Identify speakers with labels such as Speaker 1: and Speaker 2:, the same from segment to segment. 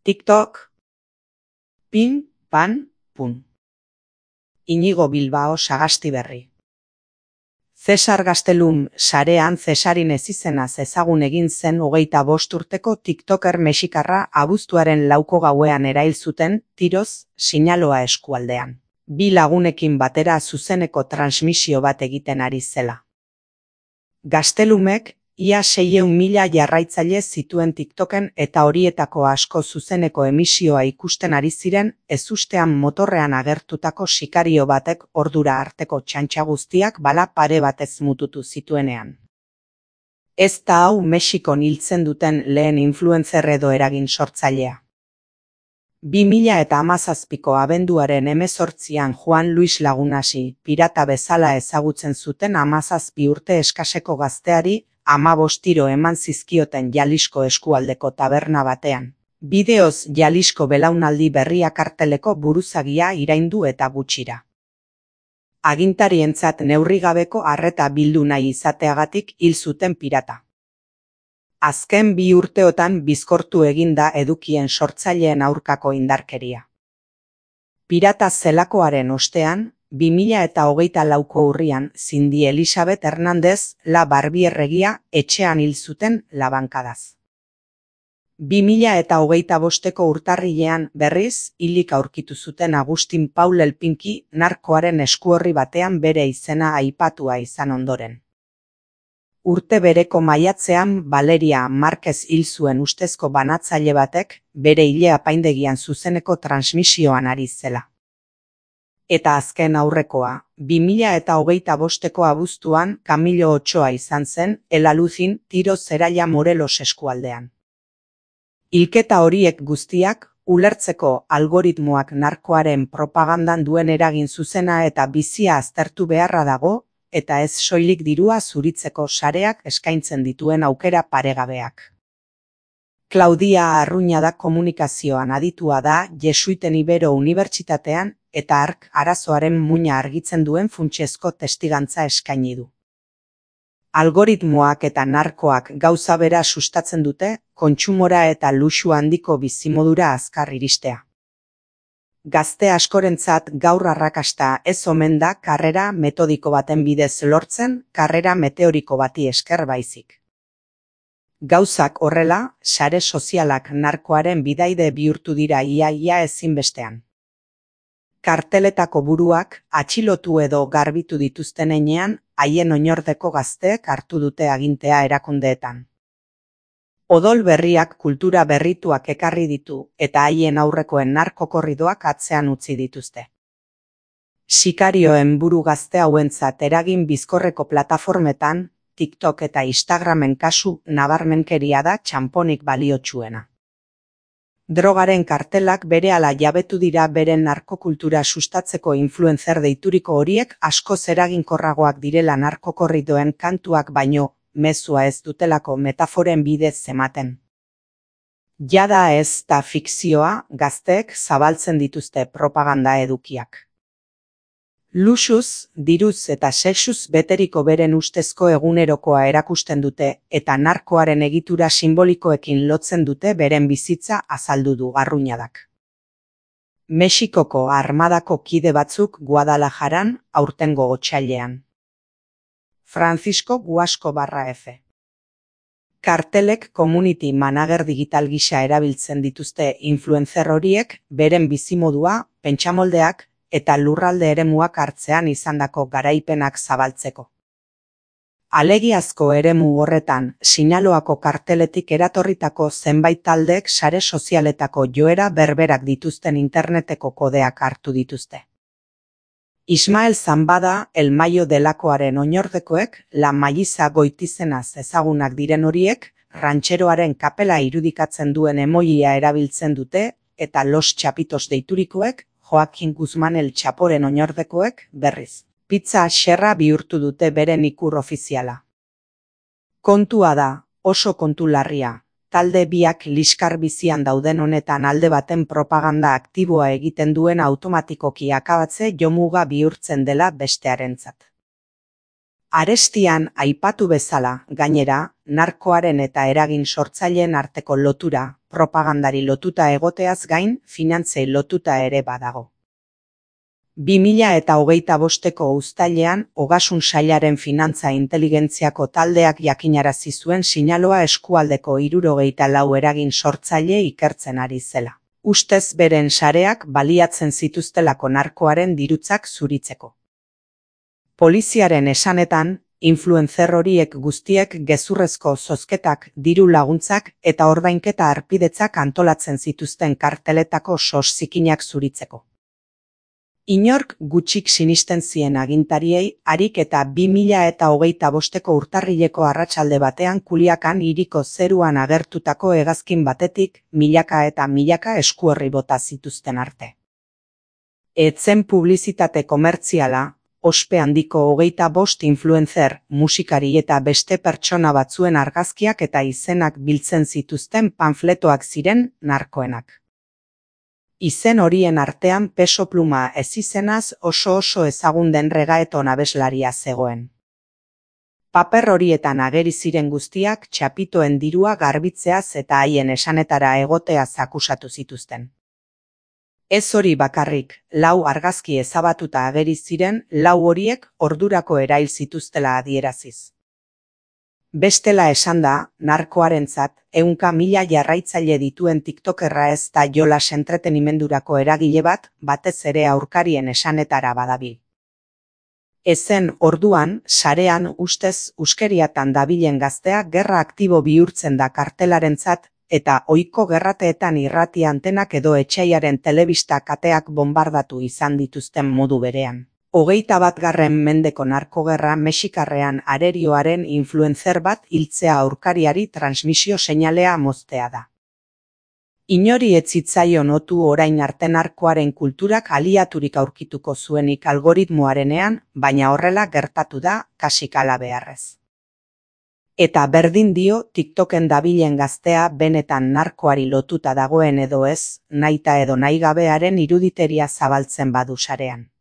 Speaker 1: TikTok, pin, pan, pun. Iñigo Bilbao Sagastiberri. Cesar Gastelum sarean Cesarin ezizenaz ezagun egin zen 25 urteko tiktoker mexikarra abuztuaren 4 gauean erail zuten tiroz Sinaloa eskualdean. 2 lagunekin batera zuzeneko transmisio bat egiten ari zela. Gastelumek ia 600.000 jarraitzaile zituen TikToken eta horietako asko zuzeneko emisioa ikusten ari ziren ezustean motorrean agertutako sikario batek ordura arteko txantxa guztiak bala pare batez mututu zituenean. Ez da hau Mexikon hiltzen duten lehen influencer edo eragin sortzailea. 2017ko abenduaren 18an Juan Luis Lagunasi pirata bezala ezagutzen zuten 17 urte eskaseko gazteari 15 tiro eman zizkioten Jalisco eskualdeko taberna batean. Bideoz Jalisco belaunaldi berria karteleko buruzagia iraindu eta gutxira. Agintarientzat neurrigabeko arreta bildu nahi izateagatik hil zuten pirata. Azken 2 urteotan bizkortu egin da edukien sortzaileen aurkako indarkeria. Pirata zelakoaren ostean, 2024ko urrian Cindy Elizabeth Hernández La Barbierregia etxean hil zuten labankadaz. 2025ko urtarrilean berriz hilik aurkitu zuten Agustin Paul Elpinki narkoaren eskuorri batean bere izena aipatua izan ondoren. Urte bereko maiatzean Valeria Márquez hil zuen ustezko banatzaile batek bere hile apaindegian zuzeneko transmisioan ari zela. Eta azken aurrekoa, 2025ko abuztuan Camilo Ochoa izan zen Elaluzin tiro zeraila Morelos eskualdean. Hilketa horiek guztiak ulertzeko algoritmoak narkoaren propagandan duen eragin zuzena eta bizia aztertu beharra dago, eta ez soilik dirua zuritzeko sareak eskaintzen dituen aukera paregabeak. Claudia Arruñada komunikazioan aditua da Jesuiten Ibero Unibertsitatean eta hark arazoaren muina argitzen duen funtsezko testigantza eskaini du. Algoritmoak eta narkoak gauza bera sustatzen dute, kontsumora eta luxu handiko bizimodura azkar iristea. Gazte askorentzat gaur arrakasta ez omen da karrera metodiko baten bidez lortzen, karrera meteoriko bati esker baizik. Gauzak horrela, sare sozialak narkoaren bidaide bihurtu dira ia ezinbestean. Karteletako buruak atxilotu edo garbitu dituzten heinean, haien oinordeko gazteek hartu dute agintea erakundeetan. Odol berriak kultura berrituak ekarri ditu eta haien aurrekoen narkokorridoak atzean utzi dituzte. Sikarioen buru gazte hauentzat eragin bizkorreko plataformetan, TikTok eta Instagramen kasu nabarmenkeria da txanponik baliotsuena. Drogaren kartelak berehala jabetu dira beren narkokultura sustatzeko influencer deituriko horiek askoz eraginkorragoak direla narkokorridoen kantuak baino, mezua ez dutelako metaforen bidez ematen. Jada ez da fikzioa, gazteek zabaltzen dituzte propaganda edukiak. Luxuz, diruz eta sexuz beteriko beren ustezko egunerokoa erakusten dute eta narkoaren egitura simbolikoekin lotzen dute beren bizitza azaldu du Arruñadak. Mexikoko armadako kide batzuk Guadalajaran aurtengo otsailean. Francisco Guasco/F. Kartelek community manager digital gisa erabiltzen dituzte influencer horiek beren bizimodua, pentsamoldeak eta lurralde eremuak hartzean izandako garaipenak zabaltzeko. Alegiazko eremu horretan, Sinaloako karteletik eratorritako zenbait taldeek sare sozialetako joera berberak dituzten interneteko kodeak hartu dituzte. Ismael Zambada, El Mayo delakoaren oinordekoek, La Mayiza goitizenaz ezagunak diren horiek, rantxeroaren kapela irudikatzen duen emojia erabiltzen dute, eta Los Chapitos deiturikoek, Joaquin Guzman El Chaporen oinordekoek, berriz. Pizza xerra bihurtu dute beren ikur ofiziala. Kontua da, oso kontu larria. Talde biak liskar bizian dauden honetan alde baten propaganda aktiboa egiten duen automatikoki akabatze jomuga bihurtzen dela bestearentzat. Arestian aipatu bezala, gainera, narkoaren eta eragin sortzaileen arteko lotura, propagandari lotuta egoteaz gain, finantzei lotuta ere badago. 2025ko uztailean, Ogasun Sailaren finantza inteligentziako taldeak jakinarazi zuen sinaloa eskualdeko 74 eragin sortzaile ikertzen ari zela. Ustez beren sareak baliatzen zituztelako narkoaren dirutzak zuritzeko. Poliziaren esanetan, influencer horiek guztiek gezurrezko zozketak, diru laguntzak eta ordainketa harpidetzak antolatzen zituzten karteletako sos zikinak zuritzeko. Inork gutxik sinisten zien agintariei, harik eta 2025ko urtarrileko arratsalde batean Kuliakan hiriko zeruan agertutako hegazkin batetik milaka eta milaka eskuorri bota zituzten arte. Ez zen publizitate komertziala, ospe handiko 25 influencer, musikari eta beste pertsona batzuen argazkiak eta izenak biltzen zituzten panfletoak ziren narkoenak. Izen horien artean Peso Pluma ezizenaz oso ezagun den reggaeton abeslaria zegoen. Paper horietan ageri ziren guztiak txapitoen dirua garbitzeaz eta haien esanetara egoteaz akusatu zituzten. Ez hori bakarrik, 4 argazki ezabatuta ageri ziren, 4 horiek ordurako erail zituztela adieraziz. Bestela esanda, narkoarentzat, 100.000 jarraitzaile dituen tiktokerra ez da jolas entretenimendurako eragile bat, batez ere aurkarien esanetara badabil. Ezen orduan, sarean ustez huskeriatan dabilen gaztea gerra aktibo bihurtzen da kartelarentzat, eta ohiko gerrateetan irrati antenak edo etsaiaren telebista kateak bombardatu izan dituzten modu berean. 21. mendeko narkogerra Mexikarrean arerioaren influencer bat hiltzea aurkariari transmisio seinalea moztea da. Inori ez zitzaion otu orain arte narkoaren kulturak aliaturik aurkituko zuenik algoritmoarenean, baina horrela gertatu da, kasik hala beharrez. Eta berdin dio TikToken dabilen gaztea benetan narkoari lotuta dagoen edo ez, nahita edo nahigabearen iruditeria zabaltzen badu sarean.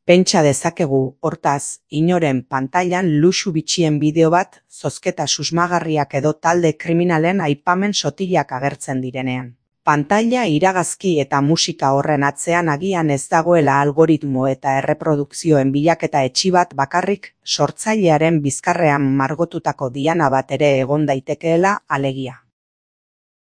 Speaker 1: Pentsa dezakegu, hortaz, inoren pantailan luxu bitxien bideo bat, zozketa susmagarriak edo talde kriminalen aipamen sotilak agertzen direnean. Pantaila iragazki eta musika horren atzean agian ez dagoela algoritmo eta erreprodukzioen bilaketa etxi bat bakarrik, sortzailearen bizkarrean margotutako diana bat ere egon daitekeela alegia.